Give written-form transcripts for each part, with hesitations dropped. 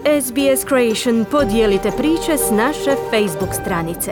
SBS Creation, podijelite priče s naše Facebook stranice.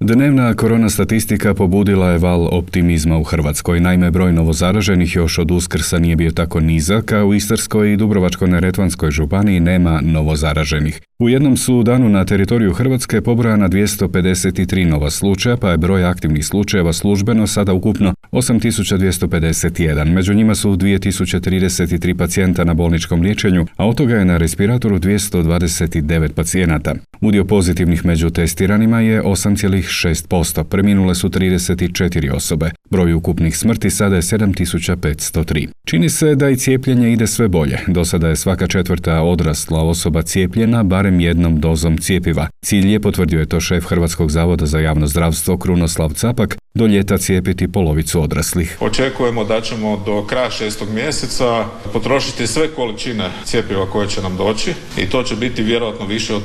Dnevna korona statistika pobudila je val optimizma u Hrvatskoj. Naime, broj novozaraženih još od Uskrsa nije bio tako nizak, a u Istarskoj i Dubrovačko-neretvanskoj županiji nema novozaraženih. U jednom su danu na teritoriju Hrvatske pobrojana 253 nova slučaja, pa je broj aktivnih slučajeva službeno sada ukupno 8251. Među njima su 2033 pacijenta na bolničkom liječenju, a od toga je na respiratoru 229 pacijenata. Udio pozitivnih među testiranima je 8,6%, preminule su 34 osobe. Broj ukupnih smrti sada je 7503. Čini se da i cijepljenje ide sve bolje. Do sada je svaka četvrta odrasla osoba cijepljena barem jednom dozom cjepiva. Cilj je, potvrdio je to šef Hrvatskog zavoda za javno zdravstvo Krunoslav Capak, do ljeta cijepiti polovicu odraslih. Očekujemo da ćemo do kraja 6. mjeseca potrošiti sve količine cjepiva koje će nam doći i to će biti vjerojatno više od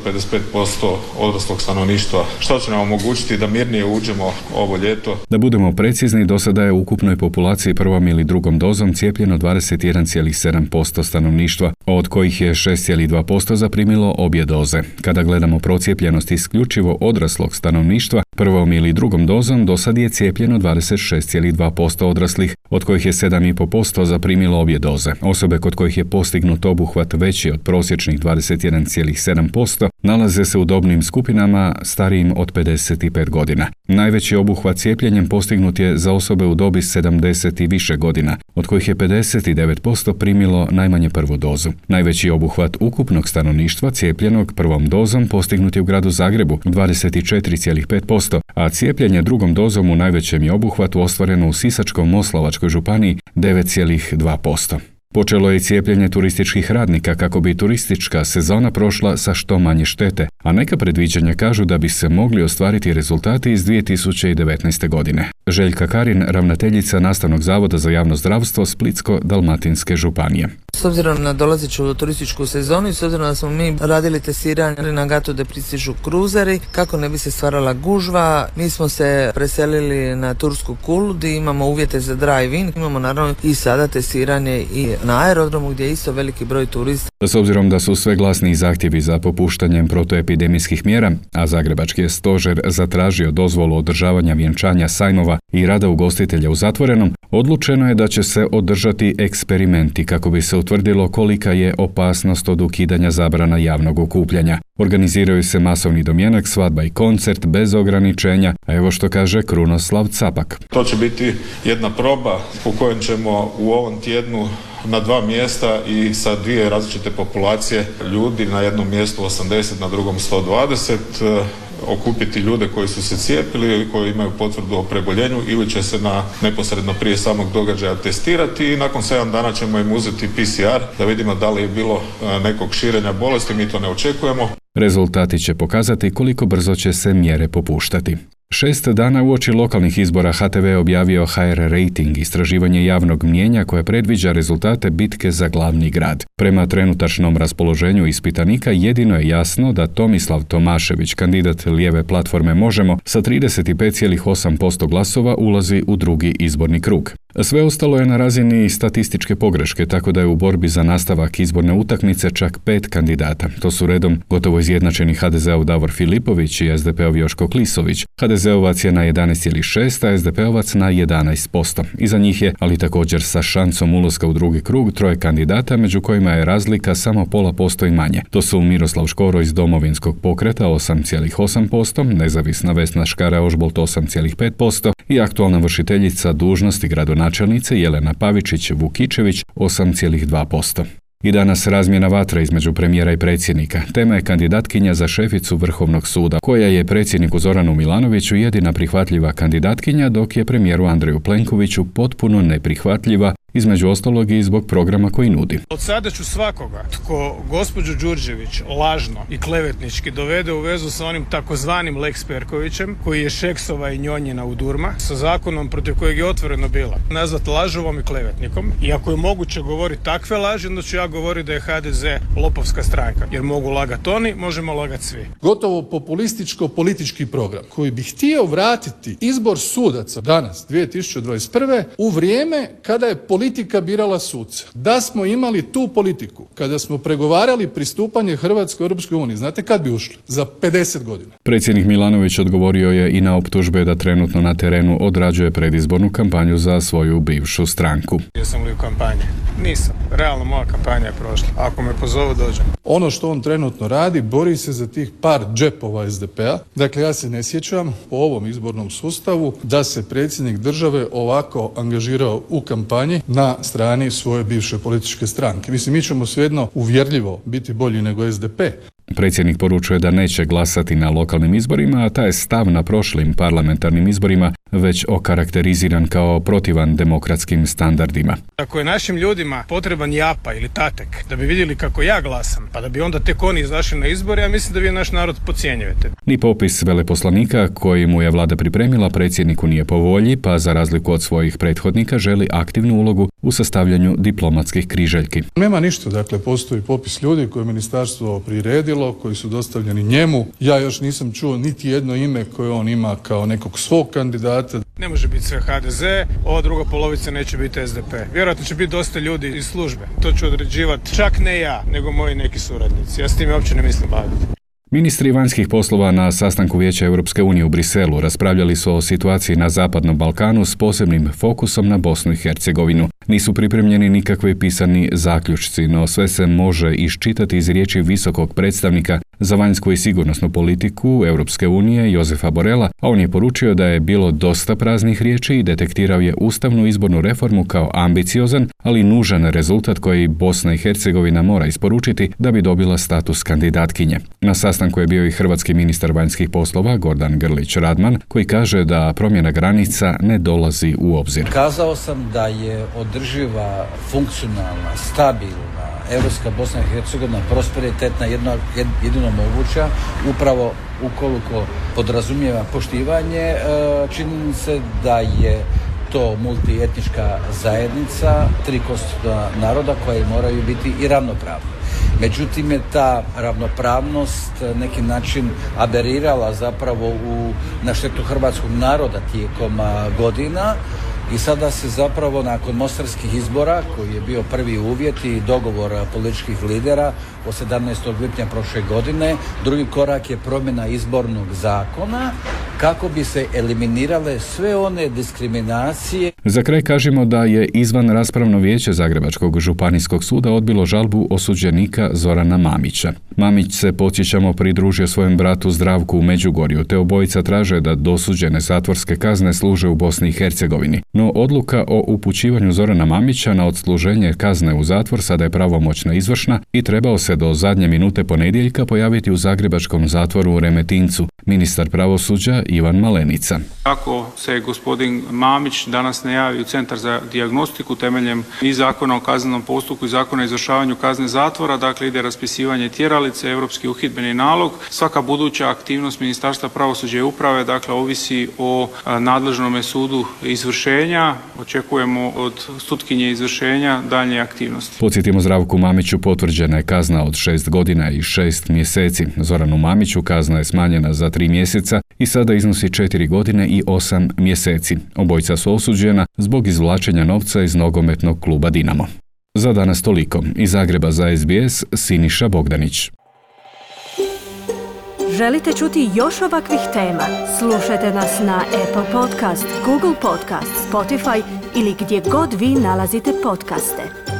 55% odraslog stanovništva, što će nam omogućiti da mirnije uđemo ovo ljeto. Da budemo precizni, do sada je u ukupnoj populaciji prvom ili drugom dozom cijepljeno 21,7% stanovništva, od kojih je 6,2% zaprimilo obje doze. Kada gledamo procijepljenost isključivo odraslog stanovništva, prvom ili drugom dozom do sad je cijepljeno 26,2% odraslih, od kojih je 7,5% zaprimilo obje doze. Osobe kod kojih je postignut obuhvat veći od prosječnih 21,7% nalaze se u dobnim skupinama starijim od 55 godina. Najveći obuhvat cijepljenjem postignut je za osobe u dobi 70 i više godina, od kojih je 59% primilo najmanje prvu dozu. Najveći obuhvat ukupnog stanovništva cijepljenog prvom dozom postignut je u gradu Zagrebu 24,5%, a cijepljenje drugom dozom u najvećem je obuhvatu ostvareno u Sisačko-moslavačkoj županiji 9,2%. Počelo je i cijepljenje turističkih radnika kako bi turistička sezona prošla sa što manje štete, a neka predviđanja kažu da bi se mogli ostvariti rezultati iz 2019. godine. Željka Karin, ravnateljica Nastavnog zavoda za javno zdravstvo Splitsko-dalmatinske županije. S obzirom na dolazeću turističku sezonu i s obzirom da smo mi radili testiranje na Gatu de pristižu kruzeri, kako ne bi se stvarala gužva, mi smo se preselili na Tursku Kulu gdje imamo uvjete za drive-in. Imamo naravno i sada testiranje i na aerodromu gdje je isto veliki broj turista. S obzirom da su sve glasniji zahtjevi za popuštanjem protuepidemijskih mjera, a Zagrebački je stožer zatražio dozvolu održavanja vjenčanja, sajmova i rada ugostitelja u zatvorenom, odlučeno je da će se održati eksperimenti kako bi se utvrdilo kolika je opasnost od ukidanja zabrana javnog okupljanja. Organiziraju se masovni domjenak, svadba i koncert bez ograničenja, a evo što kaže Krunoslav Capak. To će biti jedna proba u kojem ćemo u ovom tjednu na 2 mjesta i sa 2 različite populacije ljudi, na jednom mjestu 80, na drugom 120, okupiti ljude koji su se cijepili ili koji imaju potvrdu o preboljenju ili će se neposredno prije samog događaja testirati i nakon 7 dana ćemo im uzeti PCR da vidimo da li je bilo nekog širenja bolesti, mi to ne očekujemo. Rezultati će pokazati koliko brzo će se mjere popuštati. 6 dana uoči lokalnih izbora HTV je objavio HR Rating, istraživanje javnog mnijenja koje predviđa rezultate bitke za glavni grad. Prema trenutačnom raspoloženju ispitanika jedino je jasno da Tomislav Tomašević, kandidat lijeve platforme Možemo, sa 35,8% glasova ulazi u drugi izborni krug. Sve ostalo je na razini statističke pogreške, tako da je u borbi za nastavak izborne utakmice čak 5 kandidata. To su redom gotovo izjednačeni HDZ-ov Davor Filipović i SDP-ov Joško Klisović. HDZ-ovac je na 11,6, a SDP-ovac na 11%. Iza njih je, ali također sa šansom ulaska u drugi krug, 3 kandidata, među kojima je razlika samo 0,5% i manje. To su Miroslav Škoro iz Domovinskog pokreta 8,8%, nezavisna Vesna Škara-Ožbolt 8,5% i aktualna vršiteljica dužnosti gradonačelnice Jelena Pavičić-Vukičević 8,2%. I danas razmjena vatra između premijera i predsjednika. Tema je kandidatkinja za šeficu Vrhovnog suda, koja je predsjedniku Zoranu Milanoviću jedina prihvatljiva kandidatkinja, dok je premijeru Andreju Plenkoviću potpuno neprihvatljiva, između ostalog i zbog programa koji nudi. Od sada ću svakoga tko gospođu Đurđević lažno i klevetnički dovede u vezu sa onim takozvanim Lex Perkovićem, koji je Šeksova i Njonjina u Durma, sa zakonom protiv kojeg je otvoreno bila nazvat lažovom i klevetnikom. I ako je moguće govoriti takve laži, onda ću ja govoriti da je HDZ lopovska stranka. Jer mogu lagati oni, možemo lagati svi. Gotovo populističko-politički program koji bi htio vratiti izbor sudaca danas, 2021. u vrijeme kada je politika birala suce, da smo imali tu politiku kada smo pregovarali pristupanje Hrvatske u Europskoj uniji, znate kad bi ušli? Za 50 godina. Predsjednik Milanović odgovorio je i na optužbe da trenutno na terenu odrađuje predizbornu kampanju za svoju bivšu stranku. Jesam li u kampanji? Nisam. Realno moja kampanja je prošla. Ako me pozovu, dođem. Ono što on trenutno radi, bori se za tih par džepova SDP-a. Dakle, ja se ne sjećam po ovom izbornom sustavu da se predsjednik države ovako angažirao u kampanji na strani svoje bivše političke stranke. Mislim, mi ćemo svejedno uvjerljivo biti bolji nego SDP. Predsjednik poručuje da neće glasati na lokalnim izborima, a taj stav na prošlim parlamentarnim izborima već okarakteriziran kao protivan demokratskim standardima. Ako je našim ljudima potreban japa ili tatek da bi vidjeli kako ja glasam, pa da bi onda tek oni izašli na izbore, ja mislim da vi naš narod podcjenjujete. Ni popis veleposlanika koji mu je vlada pripremila predsjedniku nije po volji, pa za razliku od svojih prethodnika želi aktivnu ulogu u sastavljanju diplomatskih križaljki. Nema ništa, dakle postoji popis ljudi koje je ministarstvo priredilo, koji su dostavljeni njemu. Ja još nisam čuo niti jedno ime koje on ima kao nekog svog kandidata. Ne može biti sve HDZ, ova druga polovica neće biti SDP. Vjerojatno će biti dosta ljudi iz službe. To ću određivati čak ne ja, nego moji neki suradnici. Ja s time uopće ne mislim baviti. Ministri vanjskih poslova na sastanku Vijeća Europske unije u Briselu raspravljali su o situaciji na Zapadnom Balkanu s posebnim fokusom na Bosnu i Hercegovinu. Nisu pripremljeni nikakvi pisani zaključci, no sve se može iščitati iz riječi visokog predstavnika za vanjsku i sigurnosnu politiku Europske unije Josefa Borela, a on je poručio da je bilo dosta praznih riječi i detektirao je ustavnu izbornu reformu kao ambiciozan, ali nužan rezultat koji Bosna i Hercegovina mora isporučiti da bi dobila status kandidatkinje. Na sastanku je bio i hrvatski ministar vanjskih poslova Gordan Grlić Radman, koji kaže da promjena granica ne dolazi u obzir. Kazao sam da je održiva, funkcionalna, stabilna Europska Bosna i Hercegovina prosperitetna jedino moguća upravo ukoliko podrazumijeva poštivanje činjenice da je to multietnička zajednica, tri konstitutivna naroda koje moraju biti i ravnopravni. Međutim je ta ravnopravnost neki način aberirala zapravo na štetu hrvatskog naroda tijekom godina. I sada se zapravo nakon mostarskih izbora, koji je bio prvi uvjet i dogovor političkih lidera od 17. lipnja prošle godine, drugi korak je promjena izbornog zakona kako bi se eliminirale sve one diskriminacije. Za kraj kažemo da je izvan raspravno vijeće Zagrebačkog županijskog suda odbilo žalbu osuđenika Zorana Mamića. Mamić se, podsjećamo, pridružio svojem bratu Zdravku u Međugorju, te obojica traže da dosuđene zatvorske kazne služe u Bosni i Hercegovini. No odluka o upućivanju Zorana Mamića na odsluženje kazne u zatvor sada je pravomoćno izvršna i trebao se do zadnje minute ponedjeljka pojaviti u zagrebačkom zatvoru u Remetincu. Ministar pravosuđa Ivan Malenica. Ako se gospodin Mamić danas ne javi u Centar za dijagnostiku temeljem i Zakona o kaznenom postupku i Zakona o izvršavanju kazne zatvora, dakle ide raspisivanje tjeralice, europski uhidbeni nalog. Svaka buduća aktivnost Ministarstva pravosuđa i uprave, dakle, ovisi o nadležnome sudu izvršenja. Očekujemo od sutkinje izvršenja daljnje aktivnosti. Podsjetimo, Zdravku Mamiću potvrđena je kazna od 6 godina i 6 mjeseci. Zoranu Mamiću kazna je smanjena za 3 mjeseca i sada iznosi 4 godine i 8 mjeseci. Obojica su osuđena zbog izvlačenja novca iz nogometnog kluba Dinamo. Za danas toliko. Iz Zagreba za SBS, Siniša Bogdanić. Želite čuti još ovakvih tema? Slušajte nas na Apple Podcast, Google Podcast, Spotify ili gdje god vi nalazite podcaste.